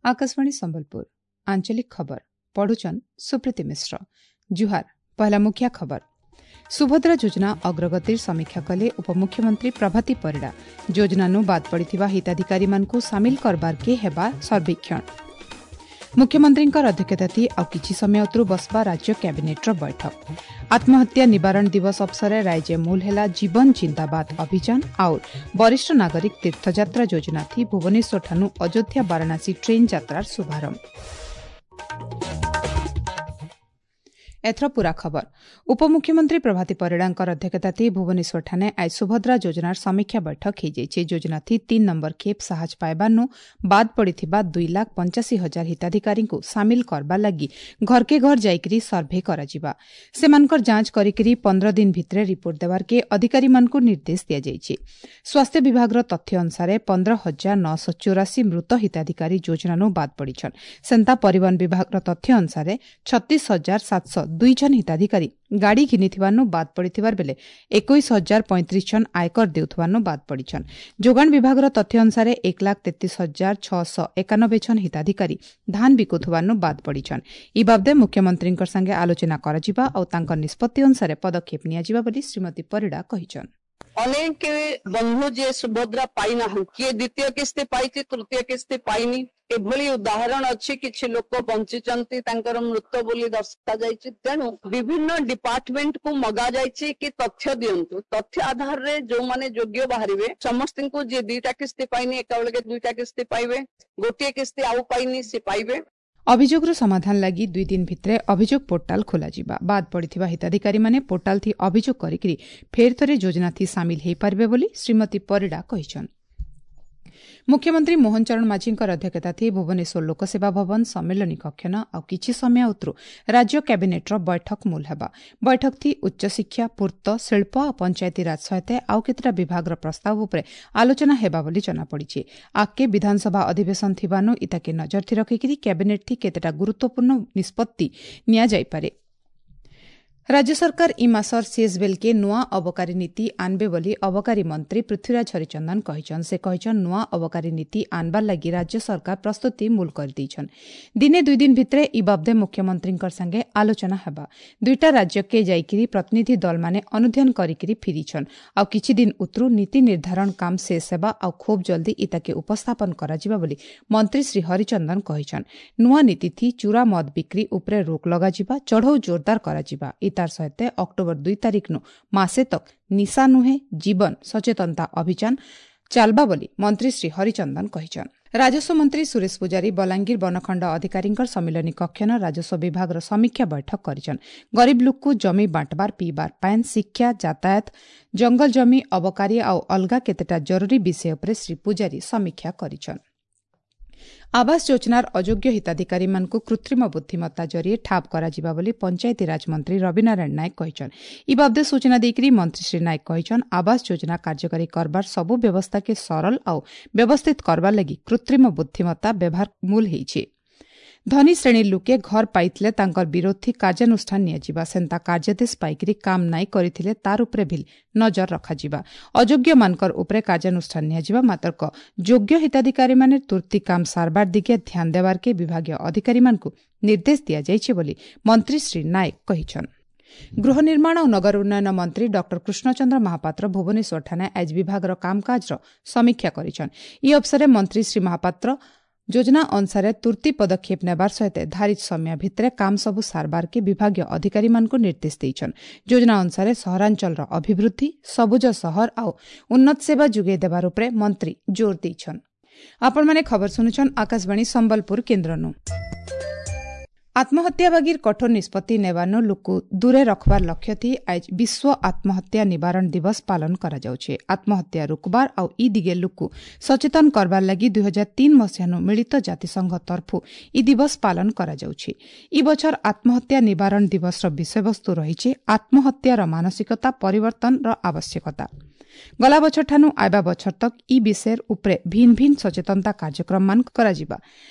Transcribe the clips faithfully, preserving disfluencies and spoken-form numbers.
ଆକାଶବାଣୀ ସମ୍ବଲପୁର ଆଞ୍ଚଳିକ ଖବର ପଢୁଛନ୍ ସୁପ୍ରୀତି ମିଶ୍ର ଜୁହାର ପହଲା ମୁଖ୍ୟ ଖବର ସୁଭଦ୍ରା ଯୋଜନା ଅଗ୍ରଗତିର ସମୀକ୍ଷା କଲେ ଉପମୁଖ୍ୟମନ୍ତ୍ରୀ ପ୍ରଭାତୀ ପରିଡ଼ା ଯୋଜନାନୁ ବାଦ୍ ପଡ଼ିଥିବା ହିତାଧିକାରୀମାନଙ୍କୁ ସାମିଲ କରବାର୍କେ ହେବା ସର୍ବେକ୍ଷଣ ମୁଖ୍ୟମନ୍ତ୍ରୀଙ୍କର ଅଧ୍ୟକ୍ଷତାଥି ଆଉ କିଛି ସମୟ ଉତରୁ ବସବା ରାଜ୍ୟ କ୍ୟାବିନେଟ୍ର ବୈଠକ ଆତ୍ମହତ୍ୟା ନିବାରଣ ଦିବସ ଅବସରରେ ରାଜ୍ୟ ମୂଲ ହେଲା ଜୀବନ ଜିନ୍ଦାବାଦ ଅଭିଯାନ ଆଉ ବରିଷ୍ଠ ନାଗରିକ ତୀର୍ଥଯାତ୍ରା ଯୋଜନାଥି ଭୁବନେଶ୍ୱରଠାନୁ ଅଯୋଧ୍ୟା ବାରାଣାସୀ ଟ୍ରେନ୍ ଯାତ୍ରାର ଶୁଭାରମ୍ଭ ଏଥର ପୂରା ଖବର ଉପମୁଖ୍ୟମନ୍ତ୍ରୀ ପ୍ରଭାତୀ ପରିଡ଼ାଙ୍କର ଅଧ୍ୟକ୍ଷତାଥି ଭୁବନେଶ୍ୱରଠାନେ ଆଜ ସୁଭଦ୍ରା ଯୋଜନାର ସମୀକ୍ଷା ବୈଠକ ହୋଇଯାଇଛି ଯୋଜନାଥି ତିନି ନମ୍ବର ଖେପ୍ ସାହାଯ୍ୟ ପାଇବାର୍ନୁ ବାଦ୍ ପଡ଼ିଥିବା ଦୁଇ ଲାଖ ପଞ୍ଚାଅଶୀ ହଜାର ହିତାଧିକାରୀଙ୍କୁ ସାମିଲ କରବାର୍ ଲାଗି ଘରକେ ଘର ଯାଇକରି ସର୍ଭେ କରାଯିବା ସେମାନଙ୍କର ଯାଞ୍ଚ କରିକରି ପନ୍ଦର ଦିନ ଭିତରେ ରିପୋର୍ଟ ଦେବାର୍କେ ଅଧିକାରୀମାନଙ୍କୁ ନିର୍ଦ୍ଦେଶ ଦିଆଯାଇଛି ସ୍ୱାସ୍ଥ୍ୟ ବିଭାଗର ତଥ୍ୟ ଅନୁସାରେ ପନ୍ଦର ହଜାର ନଅଶହ ଚଉରାଶୀ ମୃତ ହିତାଧିକାରୀ ଯୋଜନାନୁ ବାଦ୍ ପଡ଼ିଛନ୍ ସେନ୍ତା ପରିବହନ ବିଭାଗର ତଥ୍ୟ ଅନୁସାରେ ଛତିଶ ହଜାର ସାତଶହ ଦୁଇ ଜଣ ହିତାଧିକାରୀ ଗାଡ଼ି ଘିନିଥିବାନୁ ବାଦ୍ ପଡ଼ିଥିବାର ବେଲେ ଏକୋଇଶ ହଜାର ପଇଁତିରିଶ ଜଣ ଆୟକର ଦେଉଥିବାନୁ ବାଦ୍ ପଡ଼ିଛନ୍ ଯୋଗାଣ ବିଭାଗର ତଥ୍ୟ ଅନୁସାରେ ଏକ ଲାଖ ତେତିଶ ହଜାର ଛଅଶହ ଏକାନବେ ଜଣ ହିତାଧିକାରୀ ଧାନ ବିକୁଥିବାନୁ ବାଦ୍ ପଡ଼ିଛନ୍ ଇ ବାବଦେ ମୁଖ୍ୟମନ୍ତ୍ରୀଙ୍କ ସାଙ୍ଗେ ଆଲୋଚନା କରାଯିବା ଆଉ ତାଙ୍କ ନିଷ୍ପତ୍ତି ଅନୁସାରେ ପଦକ୍ଷେପ ନିଆଯିବ ବୋଲି ଶ୍ରୀମତୀ ପରିଡ଼ା କହିଛନ୍ ଅନେକ ବନ୍ଧୁ ଯିଏ ସୁଭଦ୍ରା ପାଇନାହାନ୍ତି କିଏ ଦ୍ୱିତୀୟ କିସ୍ତି ପାଇଛି ତୃତୀୟ କିସ୍ତି ପାଇନି ଏଭଳି ଉଦାହରଣ ଅଛି କିଛି ଲୋକ ବଞ୍ଚିଛନ୍ତି ତାଙ୍କର ମୃତ ବୋଲି ଦର୍ଶାଯାଇଛି ତେଣୁ ବିଭିନ୍ନ ଡିପାର୍ଟମେଣ୍ଟ କୁ ମଗା ଯାଇଛି କି ତଥ୍ୟ ଦିଅନ୍ତୁ ତଥ୍ୟ ଆଧାରରେ ଯୋଉମାନେ ଯୋଗ୍ୟ ବାହାରିବେ ସମସ୍ତଙ୍କୁ ଯିଏ ଦିଟା କିସ୍ତି ପାଇନି ଏକାବେଳକେ ଦୁଇଟା କିସ୍ତି ପାଇବେ ଗୋଟିଏ କିସ୍ତି ଆଉ ପାଇନି ସେ ପାଇବେ ଅଭିଯୋଗର ସମାଧାନ ଲାଗି ଦୁଇ ଦିନ ଭିତରେ ଅଭିଯୋଗ ପୋର୍ଟାଲ ଖୋଲାଯିବା ବାଦ୍ ପଡ଼ିଥିବା ହିତାଧିକାରୀମାନେ ପୋର୍ଟାଲଥି ଅଭିଯୋଗ କରିକିରି ଫେର୍ ଥରେ ଯୋଜନାଥି ସାମିଲ ହୋଇପାରିବେ ବୋଲି ଶ୍ରୀମତୀ ପରିଡ଼ା କହିଛନ୍ ମୁଖ୍ୟମନ୍ତ୍ରୀ ମୋହନ ଚରଣ ମାଝୀଙ୍କର ଅଧ୍ୟକ୍ଷତାଥି ଭୁବନେଶ୍ୱର ଲୋକସେବା ଭବନ ସମ୍ମିଳନୀ କକ୍ଷନ ଆଉ କିଛି ସମୟ ଉତରୁ ରାଜ୍ୟ କ୍ୟାବିନେଟ୍ର ବୈଠକ ମୂଲ ହେବା ବୈଠକଥି ଉଚ୍ଚଶିକ୍ଷା ପୂର୍ତ୍ତ ଶିଳ୍ପ ଆଉ ପଞ୍ଚାୟତିରାଜ ସହିତ ଆଉ କେତେଟା ବିଭାଗର ପ୍ରସ୍ତାବ ଉପରେ ଆଲୋଚନା ହେବା ବୋଲି ଜଣାପଡ଼ିଛି ଆଗକେ ବିଧାନସଭା ଅଧିବେଶନ ଥିବାନୁ ଇତାକେ ନଜରଥି ରଖିକିରି କ୍ୟାବିନେଟ୍ଥି କେତେଟା ଗୁରୁତ୍ୱପୂର୍ଣ୍ଣ ନିଷ୍ପତ୍ତି ନିଆଯାଇପାରେ ରାଜ୍ୟ ସରକାର ଇ ମାସର ଶେଷ ବେଲକେ ନୂଆ ଅବକାରୀ ନୀତି ଆନବେ ବୋଲି ଅବକାରୀ ମନ୍ତ୍ରୀ ପୃଥ୍ୱୀରାଜ ହରିଚନ୍ଦନ କହିଛନ୍ ସେ କହିଛନ୍ ନୂଆ ଅବକାରୀ ନୀତି ଆନବାର ଲାଗି ରାଜ୍ୟ ସରକାର ପ୍ରସ୍ତୁତି ମୂଲ କରିଦେଇଛନ୍ ଦିନେ ଦୁଇ ଦିନ ଭିତରେ ଇ ବାବଦେ ମୁଖ୍ୟମନ୍ତ୍ରୀଙ୍କ ସାଙ୍ଗେ ଆଲୋଚନା ହେବା ଦୁଇଟା ରାଜ୍ୟକେ ଯାଇକିରି ପ୍ରତିନିଧି ଦଳମାନେ ଅନୁଧ୍ୟାନ କରିକିରି ଫିରିଛନ୍ ଆଉ କିଛି ଦିନ ଉତରୁ ନୀତି ନିର୍ଦ୍ଧାରଣ କାମ ଶେଷ ହେବା ଆଉ ଖୁବ୍ ଜଲ୍ଦି ଇତାକେ ଉପସ୍ଥାପନ କରାଯିବା ବୋଲି ମନ୍ତ୍ରୀ ଶ୍ରୀ ହରିଚନ୍ଦନ କହିଛନ୍ ନୂଆ ନୀତିଥି ଚୁରା ମଦ ବିକ୍ରି ଉପରେ ରୋକ ଲଗାଯିବା ଚଢ଼ଉ ଜୋରଦାର କରାଯିବା ତାର ସହିତ ଅକ୍ଟୋବର ଦୁଇ ତାରିଖନୁ ମାସେ ତକ୍ ନିଶା ନୁହେଁ ଜୀବନ ସଚେତନତା ଅଭିଯାନ ଚାଲବା ବୋଲି ମନ୍ତ୍ରୀ ଶ୍ରୀ ହରିଚନ୍ଦନ କହିଛନ୍ ରାଜସ୍ୱ ମନ୍ତ୍ରୀ ସୁରେଶ ପୂଜାରୀ ବଲାଙ୍ଗୀର ବନଖଣ୍ଡ ଅଧିକାରୀଙ୍କର ସମ୍ମିଳନୀ କକ୍ଷନ ରାଜସ୍ୱ ବିଭାଗର ସମୀକ୍ଷା ବୈଠକ କରିଛନ୍ ଗରିବ ଲୋକକୁ ଜମି ବାଣ୍ଟବାର ପିଇବାର ପାଏନ୍ ଶିକ୍ଷା ଯାତାୟାତ ଜଙ୍ଗଲ ଜମି ଅବକାରୀ ଆଉ ଅଲଗା କେତେଟା ଜରୁରୀ ବିଷୟ ଉପରେ ଶ୍ରୀ ପୂଜାରୀ ସମୀକ୍ଷା କରିଛନ୍ ଆବାସ ଯୋଜନାର ଅଯୋଗ୍ୟ ହିତାଧିକାରୀମାନଙ୍କୁ କୃତ୍ରିମ ବୁଦ୍ଧିମତ୍ତା ଜରିଏ ଠାବ କରାଯିବା ବୋଲି ପଞ୍ଚାୟତିରାଜ ମନ୍ତ୍ରୀ ରବିନାରାୟଣ ନାୟକ କହିଛନ୍ ଇ ବାବଦେ ସୂଚନା ଦେଇକରି ମନ୍ତ୍ରୀ ଶ୍ରୀ ନାୟକ କହିଛନ୍ ଆବାସ ଯୋଜନା କାର୍ଯ୍ୟକାରୀ କରବାର ସବୁ ବ୍ୟବସ୍ଥାକେ ସରଳ ଆଉ ବ୍ୟବସ୍ଥିତ କରବାର ଲାଗି କୃତ୍ରିମ ବୁଦ୍ଧିମତ୍ତା ବ୍ୟବହାର ମୂଲ ହେଇଛି ଧନୀ ଶ୍ରେଣୀ ଲୋକେ ଘର ପାଇଥିଲେ ତାଙ୍କର ବିରୋଧୀ କାର୍ଯ୍ୟାନୁଷ୍ଠାନ ନିଆଯିବା ସେନ୍ତା କାର୍ଯ୍ୟାଦେଶ ପାଇକରି କାମ ନାଇଁ କରିଥିଲେ ତାର ଉପରେ ବି ନଜର ରଖାଯିବା ଅଯୋଗ୍ୟମାନଙ୍କର ଉପରେ କାର୍ଯ୍ୟାନୁଷ୍ଠାନ ନିଆଯିବା ମାତ୍ରକ ଯୋଗ୍ୟ ହିତାଧିକାରୀମାନେ ତୁର୍ତ୍ତି କାମ ସାରବାର ଦିଗେ ଧ୍ୟାନ ଦେବାର୍କେ ବିଭାଗୀୟ ଅଧିକାରୀମାନଙ୍କୁ ନିର୍ଦ୍ଦେଶ ଦିଆଯାଇଛି ବୋଲି ମନ୍ତ୍ରୀ ଶ୍ରୀ ନାୟକ କହିଛନ୍ ଗୃହ ନିର୍ମାଣ ଓ ନଗର ଉନ୍ନୟନ ମନ୍ତ୍ରୀ ଡକ୍ଟର କୃଷ୍ଣଚନ୍ଦ୍ର ମହାପାତ୍ର ଭୁବନେଶ୍ୱରଠାନେ ଆଜ ବିଭାଗର କାମକାଜର ସମୀକ୍ଷା କରିଛନ୍ ଇ ଅବସରରେ ମନ୍ତ୍ରୀ ଶ୍ରୀ ମହାପାତ୍ର ଯୋଜନା ଅନୁସାରେ ତୁର୍ତ୍ତି ପଦକ୍ଷେପ ନେବାର ସହିତ ଧାରିତ ସମୟ ଭିତରେ କାମ ସବୁ ସାରବାରକେ ବିଭାଗୀୟ ଅଧିକାରୀମାନଙ୍କୁ ନିର୍ଦ୍ଦେଶ ଦେଇଛନ୍ ଯୋଜନା ଅନୁସାରେ ସହରାଞ୍ଚଳର ଅଭିବୃଦ୍ଧି ସବୁଜ ସହର ଆଉ ଉନ୍ନତ ସେବା ଯୋଗାଇ ଦେବାର ଉପରେ ମନ୍ତ୍ରୀ ଜୋର ଦେଇଛନ୍ ଆପଣମାନେ ଖବର ଶୁଣୁଛନ୍ ଆକାଶବାଣୀ ସମ୍ବଲପୁର କେନ୍ଦ୍ରନୁ ଆତ୍ମହତ୍ୟା ବାଗିର କଠୋର ନିଷ୍ପତ୍ତି ନେବାନୁ ଲୋକକୁ ଦୂରେ ରଖବାର ଲକ୍ଷ୍ୟ ଥି ଆଜ ବିଶ୍ୱ ଆତ୍ମହତ୍ୟା ନିବାରଣ ଦିବସ ପାଳନ କରାଯାଉଛି ଆତ୍ମହତ୍ୟା ରୋକବାର ଆଉ ଇ ଦିଗେ ଲୋକକୁ ସଚେତନ କରବାର ଲାଗି ଦୁଇ ହଜାର ତିନି ମସିହାନୁ ମିଳିତ ଜାତିସଂଘ ତରଫୁ ଇ ଦିବସ ପାଳନ କରାଯାଉଛି ଇ ବଛର ଆତ୍ମହତ୍ୟା ନିବାରଣ ଦିବସର ବିଷୟବସ୍ତୁ ରହିଛି ଆତ୍ମହତ୍ୟାର ମାନସିକତା ପରିବର୍ତ୍ତନର ଆବଶ୍ୟକତା ଗଲା ବଛରଠାନୁ ଆଇବା ବଛର ତକ୍ ଇ ବିଷୟର ଉପରେ ଭିନ୍ନ ଭିନ୍ନ ସଚେତନତା କାର୍ଯ୍ୟକ୍ରମମାନ କରାଯିବା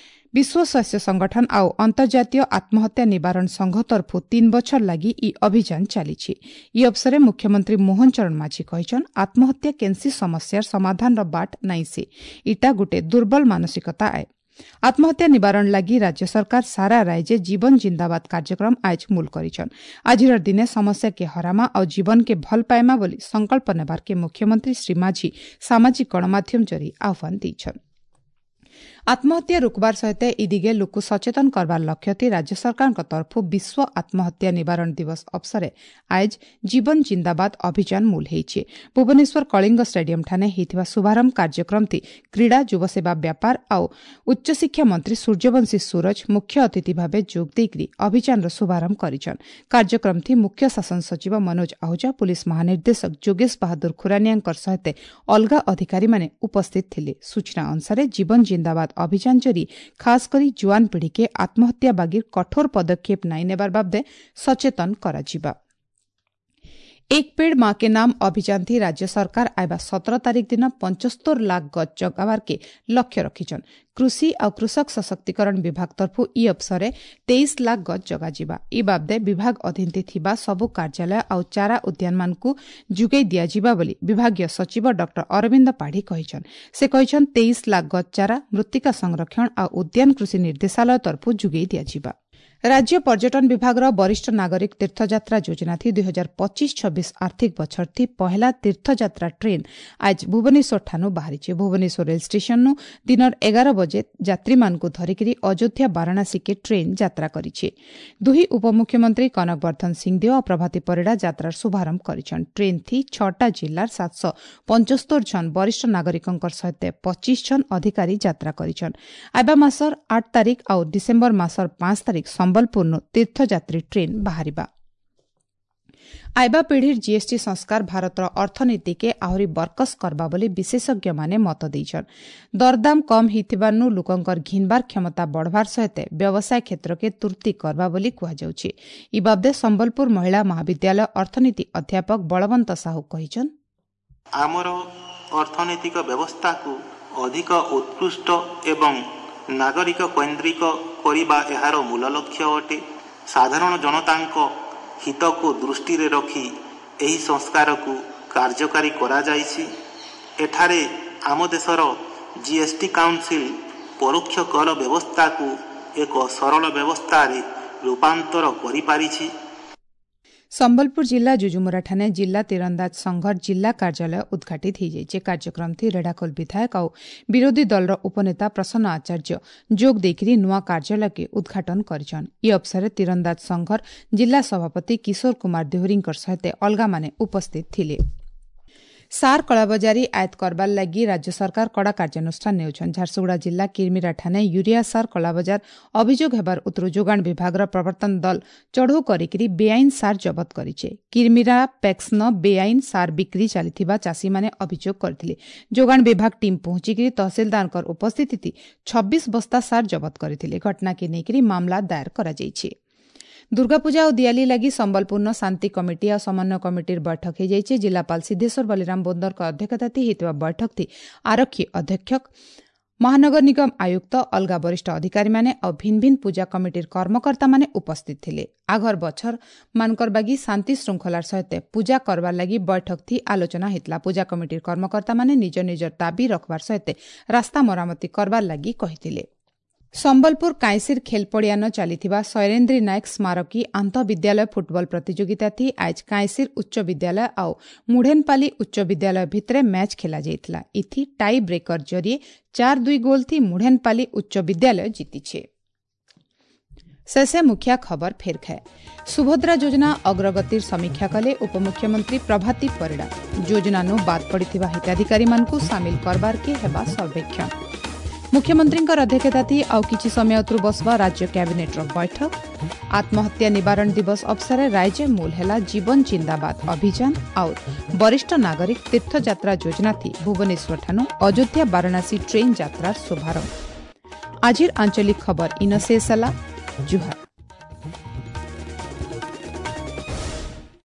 ବିଶ୍ୱ ସ୍ୱାସ୍ଥ୍ୟ ସଂଗଠନ ଆଉ ଅନ୍ତର୍ଜାତୀୟ ଆତ୍ମହତ୍ୟା ନିବାରଣ ସଂଘ ତରଫୁ ତିନି ବଛର ଲାଗି ଇ ଅଭିଯାନ ଚାଲିଛି ଇ ଅବସରରେ ମୁଖ୍ୟମନ୍ତ୍ରୀ ମୋହନ ଚରଣ ମାଝୀ କହିଛନ୍ ଆତ୍ମହତ୍ୟା କେନ୍ସି ସମସ୍ୟାର ସମାଧାନର ବାଟ ନାଇଁସେ ଇଟା ଗୁଟେ ଦୁର୍ବଳ ମାନସିକତା ଆଏ ଆତ୍ମହତ୍ୟା ନିବାରଣ ଲାଗି ରାଜ୍ୟ ସରକାର ସାରା ରାଜ୍ୟ ଜୀବନ ଜିନ୍ଦାବାଦ କାର୍ଯ୍ୟକ୍ରମ ଆଜ ମୂଲ କରିଛନ୍। ଆଜିର ଦିନେ ସମସ୍ୟାକେ ହରାମା ଆଉ ଜୀବନକେ ଭଲ ପାଏମା ବୋଲି ସଂକଳ୍ପ ନେବାର୍କେ ମୁଖ୍ୟମନ୍ତ୍ରୀ ଶ୍ରୀ ମାଝୀ ସାମାଜିକ ଗଣମାଧ୍ୟମ ଜରି ଆହ୍ୱାନ ଦେଇଛନ୍। ଆତ୍ମହତ୍ୟା ରୋକବାର ସହିତ ଇ ଦିଗେ ଲୋକ ସଚେତନ କରବାର ଲକ୍ଷ୍ୟ ରାଜ୍ୟ ସରକାରଙ୍କ ତରଫରୁ ବିଶ୍ୱ ଆତ୍ମହତ୍ୟା ନିବାରଣ ଦିବସ ଅବସରେ ଆଜ ଜୀବନ ଜିନ୍ଦାବାଦ ଅଭିଯାନ ମୂଲ ହେଇଛି। ଭୁବନେଶ୍ୱର କଳିଙ୍ଗ ଷ୍ଟାଡିୟମଠାନେ ହେଇଥିବା ଶୁଭାରମ୍ଭ କାର୍ଯ୍ୟକ୍ରମଟି କ୍ରୀଡ଼ା, ଯୁବସେବା ବ୍ୟାପାର ଆଉ ଉଚ୍ଚଶିକ୍ଷା ମନ୍ତ୍ରୀ ସୂର୍ଯ୍ୟବଂଶୀ ସୂରଜ ମୁଖ୍ୟ ଅତିଥି ଭାବେ ଯୋଗ ଦେଇକରି ଅଭିଯାନର ଶୁଭାରମ୍ଭ କରିଛନ୍। କାର୍ଯ୍ୟକ୍ରମଟି ମୁଖ୍ୟ ଶାସନ ସଚିବ ମନୋଜ ଆହୁଜା, ପୁଲିସ ମହାନିର୍ଦ୍ଦେଶକ ଯୋଗେଶ ବାହାଦୁର ଖୁରାନିଆଙ୍କ ସହିତ ଅଲଗା ଅଧିକାରୀମାନେ ଉପସ୍ଥିତ ଥିଲେ। ସୂଚନା ଅନୁସାରେ ଜୀବନ ଜିନ୍ଦାବାଦ ଅଭିଯାନ ଜରି ଖାସ କରି ଜୁଆନ ପିଢ଼ିକେ ଆତ୍ମହତ୍ୟା ବାଗିର କଠୋର ପଦକ୍ଷେପ ନାଇଁ ନେବାର ବାବଦେ ସଚେତନ କରାଯିବା। ଏକ ପେଡ଼ ମା କେ ନାମ ଅଭିଯାନ ଥି ରାଜ୍ୟ ସରକାର ଆଇବା ସତର ତାରିଖ ଦିନ ପଞ୍ଚସ୍ତର ଲାଖ ଗଛ ଜଗାବାରକେ ଲକ୍ଷ୍ୟ ରଖିଛନ୍। କୃଷି ଆଉ କୃଷକ ସଶକ୍ତିକରଣ ବିଭାଗ ତରଫରୁ ଇ ଅବସରେ ତେଇଶ ଲାଖ ଗଛ ଜଗାଯିବା। ଇ ବାବଦେ ବିଭାଗ ଅଧୀନରେ ଥିବା ସବୁ କାର୍ଯ୍ୟାଳୟ ଆଉ ଚାରା ଉଦ୍ୟାନମାନଙ୍କୁ ଯୋଗାଇ ଦିଆଯିବା ବୋଲି ବିଭାଗୀୟ ସଚିବ ଡକ୍ଟର ଅରବିନ୍ଦ ପାଢ଼ୀ କହିଛନ୍। ସେ କହିଛନ୍ ତେଇଶ ଲାଖ ଗଛ ଚାରା ମୃତ୍ତିକା ସଂରକ୍ଷଣ ଆଉ ଉଦ୍ୟାନ କୃଷି ନିର୍ଦ୍ଦେଶାଳୟ ତରଫରୁ ଯୋଗାଇ ଦିଆଯିବା। ରାଜ୍ୟ ପର୍ଯ୍ୟଟନ ବିଭାଗର ବରିଷ୍ଠ ନାଗରିକ ତୀର୍ଥଯାତ୍ରା ଯୋଜନା ଥି ଦୁଇ ହଜାର ପଚିଶ ଛବିଶ ଆର୍ଥିକ ବଛର ଥି ପହେଲା ତୀର୍ଥଯାତ୍ରା ଟ୍ରେନ୍ ଆଜ ଭୁବନେଶ୍ୱର ଠାନୁ ବାହାରିଛି। ଭୁବନେଶ୍ୱର ରେଳ ଷ୍ଟେସନରୁ ଦିନର ଏଗାର ବଜେ ଯାତ୍ରୀମାନଙ୍କୁ ଧରିକିରି ଅଯୋଧ୍ୟା ବାରାଣାସୀକେ ଟ୍ରେନ୍ ଯାତ୍ରା କରିଛି। ଦୁହି ଉପମୁଖ୍ୟମନ୍ତ୍ରୀ କନକ ବର୍ଦ୍ଧନ ସିଂଦେଓ ଓ ପ୍ରଭାତୀ ପରିଡ଼ା ଯାତ୍ରାର ଶୁଭାରମ୍ଭ କରିଛନ୍। ଟ୍ରେନ୍ ଥି ଛଅଟା ଜିଲ୍ଲାର ସାତଶହ ପଞ୍ଚସ୍ତର ଜଣ ବରିଷ୍ଠ ନାଗରିକଙ୍କ ସହିତ ପଚିଶ ଜଣ ଅଧିକାରୀ ଯାତ୍ରା କରିଛନ୍। ଆଇବା ମାସର ଆଠ ତାରିଖ ଆଉ ଡିସେମ୍ବର ମାସର ପାଞ୍ଚ ତାରିଖ ସମ୍ବଲପୁରନୁ ତୀର୍ଥଯାତ୍ରୀ ଟ୍ରେନ୍ ବାହାରିବା। ଆଇବା ପିଢ଼ିର ଜିଏସ୍ଟି ସଂସ୍କାର ଭାରତର ଅର୍ଥନୀତିକେ ଆହୁରି ବରକସ କରବା ବୋଲି ବିଶେଷଜ୍ଞମାନେ ମତ ଦେଇଛନ୍। ଦରଦାମ କମ୍ ହେଇଥିବାରୁ ଲୋକଙ୍କର ଘିନବାର କ୍ଷମତା ବଢ଼ବାର ସହିତ ବ୍ୟବସାୟ କ୍ଷେତ୍ରକେ ତୁର୍ତି କରବା ବୋଲି କୁହାଯାଉଛି। ଇ ବାବଦେ ସମ୍ବଲପୁର ମହିଳା ମହାବିଦ୍ୟାଳୟ ଅର୍ଥନୀତି ଅଧ୍ୟାପକ ବଳବନ୍ତ ସାହୁ କହିଛନ୍, ଆମର ଅର୍ଥନୈତିକ ବ୍ୟବସ୍ଥାକୁ ଅଧିକ ଉତ୍କୃଷ୍ଟ ଏବଂ ନାଗରିକ କୈନ୍ଦ୍ରିକ କରିବା ଏହାର ମୂଳ ଲକ୍ଷ୍ୟ ଅଟେ। ସାଧାରଣ ଜନତାଙ୍କ ହିତକୁ ଦୃଷ୍ଟିରେ ରଖି ଏହି ସଂସ୍କାରକୁ କାର୍ଯ୍ୟକାରୀ କରାଯାଇଛି। ଏଠାରେ ଆମ ଦେଶର ଜିଏସ୍ଟି କାଉନସିଲ ପରୋକ୍ଷ କର ବ୍ୟବସ୍ଥାକୁ ଏକ ସରଳ ବ୍ୟବସ୍ଥାରେ ରୂପାନ୍ତର କରିପାରିଛି। ସମ୍ବଲପୁର ଜିଲ୍ଲା ଯୁଯୁମୁରାଠାନେ ଜିଲ୍ଲା ତୀରନ୍ଦାଜ ସଂଘର ଜିଲ୍ଲା କାର୍ଯ୍ୟାଳୟ ଉଦ୍ଘାଟିତ ହୋଇଯାଇଛି। କାର୍ଯ୍ୟକ୍ରମଥି ରେଢ଼ାଖୋଲ ବିଧାୟକ ଆଉ ବିରୋଧୀ ଦଳର ଉପନେତା ପ୍ରସନ୍ନ ଆଚାର୍ଯ୍ୟ ଯୋଗ ଦେଇକରି ନୂଆ କାର୍ଯ୍ୟାଳୟକେ ଉଦ୍ଘାଟନ କରିଛନ୍। ଇ ଅବସରରେ ତୀରନ୍ଦାଜ ସଂଘର ଜିଲ୍ଲା ସଭାପତି କିଶୋର କୁମାର ଦେହୁରୀଙ୍କ ସହିତ ଅଲଗାମାନେ ଉପସ୍ଥିତ ଥିଲେ। ସାର କଳାବଜାରୀ ଆୟତ କରବାର ଲାଗି ରାଜ୍ୟ ସରକାର କଡ଼ା କାର୍ଯ୍ୟାନୁଷ୍ଠାନ ନେଉଛନ୍। ଝାରସୁଗୁଡ଼ା ଜିଲ୍ଲା କିର୍ମିରାଠାନେ ୟୁରିଆ ସାର କଳାବଜାର ଅଭିଯୋଗ ହେବାର ଉତ୍ତର ଯୋଗାଣ ବିଭାଗର ପ୍ରବର୍ତ୍ତନ ଦଳ ଚଢ଼ଉ କରିକିରି ବେଆଇନ ସାର ଜବତ କରିছে। କିର୍ମିରା ପ୍ୟାକ୍ସନ ବେଆଇନ ସାର ବିକ୍ରି ଚାଲିଥିବା ଚାଷୀମାନେ ଅଭିଯୋଗ କରିଥିଲେ। ଯୋଗାଣ ବିଭାଗ ଟିମ୍ ପହଞ୍ଚିକିରି ତହସିଲଦାରଙ୍କ ଉପସ୍ଥିତି ଛବିଶ ବସ୍ତା ସାର ଜବତ କରିଥିଲେ। ଘଟଣାକେ ନେଇକରି ମାମଲା ଦାୟର କରାଯାଇଛି। ଦୁର୍ଗାପୂଜା ଓ ଦିଆଲି ଲାଗି ସମ୍ବଲପୁରର ଶାନ୍ତି କମିଟି ଆଉ ସମନ୍ୱୟ କମିଟିର ବୈଠକ ହୋଇଯାଇଛି। ଜିଲ୍ଲାପାଳ ସିଦ୍ଧେଶ୍ୱର ବଲିରାମ ବୋନ୍ଦରଙ୍କ ଅଧ୍ୟକ୍ଷତାରେ ହୋଇଥିବା ବୈଠକଟି ଆରକ୍ଷୀ ଅଧୀକ୍ଷକ, ମହାନଗର ନିଗମ ଆୟୁକ୍ତ, ଅଲଗା ବରିଷ୍ଠ ଅଧିକାରୀମାନେ ଆଉ ଭିନ୍ନ ଭିନ୍ନ ପୂଜା କମିଟିର କର୍ମକର୍ତ୍ତାମାନେ ଉପସ୍ଥିତ ଥିଲେ। ଆଘର ବଛର ମାନଙ୍କର ବାଗି ଶାନ୍ତି ଶୃଙ୍ଖଳାର ସହିତ ପୂଜା କରବାର ଲାଗି ବୈଠକଥି ଆଲୋଚନା ହୋଇଥିଲା। ପୂଜା କମିଟିର କର୍ମକର୍ତ୍ତାମାନେ ନିଜ ନିଜର ଦାବି ରଖବାର ସହିତ ରାସ୍ତା ମରାମତି କରବାର ଲାଗି କହିଥିଲେ। ସମ୍ବଲପୁର କାଇଁସିର ଖେଲପଡ଼ିଆନ ଚାଲିଥିବା ଶୈରେନ୍ଦ୍ରୀ ନାୟକ ସ୍ମାରକୀ ଆନ୍ତଃବିଦ୍ୟାଳୟ ଫୁଟବଲ ପ୍ରତିଯୋଗିତାଥି ଆଜ କାଇଁସିର ଉଚ୍ଚ ବିଦ୍ୟାଳୟ ଆଉ ମୁଢ଼େନପାଲି ଉଚ୍ଚ ବିଦ୍ୟାଳୟ ଭିତରେ ମ୍ୟାଚ୍ ଖେଳାଯାଇଥିଲା। ଇଥି ଟାଇ ବ୍ରେକର ଜରିଏ ଚାର ଦୁଇ ଗୋଲ ଥି ମୁଢ଼େନପାଲି ଉଚ୍ଚ ବିଦ୍ୟାଳୟ ଜିତିছে। ଶେଷେ ମୁଖିଆ ଖବର ଫେର ଖାଏ। ସୁଭଦ୍ରା ଯୋଜନା ଅଗ୍ରଗତିର ସମୀକ୍ଷା କଲେ ଉପମୁଖ୍ୟମନ୍ତ୍ରୀ ପ୍ରଭାତୀ ପରିଡ଼ା। ଯୋଜନାନୁ ବାଦ ପଡ଼ିଥିବା ହିତାଧିକାରୀମାନଙ୍କୁ ସାମିଲ କରବାରକେ ହେବା ସର୍ବେକ୍ଷଣ। ମୁଖ୍ୟମନ୍ତ୍ରୀଙ୍କ ଅଧ୍ୟକ୍ଷତାଥି ଆଉ କିଛି ସମୟ ଅତରୁ ବସବା ରାଜ୍ୟ କ୍ୟାବିନେଟ୍ର ବୈଠକ। ଆତ୍ମହତ୍ୟା ନିବାରଣ ଦିବସ ଅବସରରେ ରାଜ୍ୟ ମୂଲ ହେଲା ଜୀବନ ଜିନ୍ଦାବାଦ ଅଭିଯାନ ଆଉ ବରିଷ୍ଠ ନାଗରିକ ତୀର୍ଥଯାତ୍ରା ଯୋଜନାଥି ଭୁବନେଶ୍ୱରଠାନୁ ଅଯୋଧ୍ୟା ବାରାଣାସୀ ଟ୍ରେନ୍ ଯାତ୍ରାର ଶୁଭାରମ୍ଭ। ଆଜିର ଆଞ୍ଚଳିକ ଖବର ଇନ ଶେଷ ହେଲା। ଜୁହାର।